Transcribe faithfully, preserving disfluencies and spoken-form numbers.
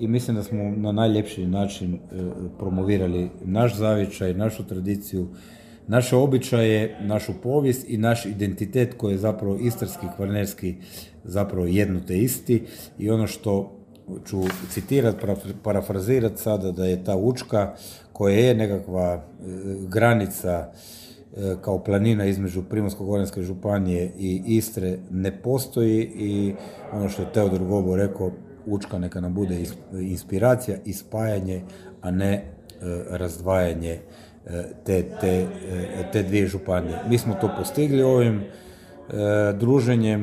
i mislim da smo na najljepši način promovirali naš zavičaj, našu tradiciju, naše običaje, našu povijest i naš identitet koji je zapravo istarski, kvarnerski, zapravo jedno te isti. I ono što ću citirati, parafrazirati sada, da je ta Učka koja je nekakva granica kao planina između Primorsko-goranske županije i Istre ne postoji, i ono što je Teodor Gobo rekao, Učka neka nam bude inspiracija i spajanje, a ne razdvajanje te, te, te dvije županije. Mi smo to postigli ovim druženjem.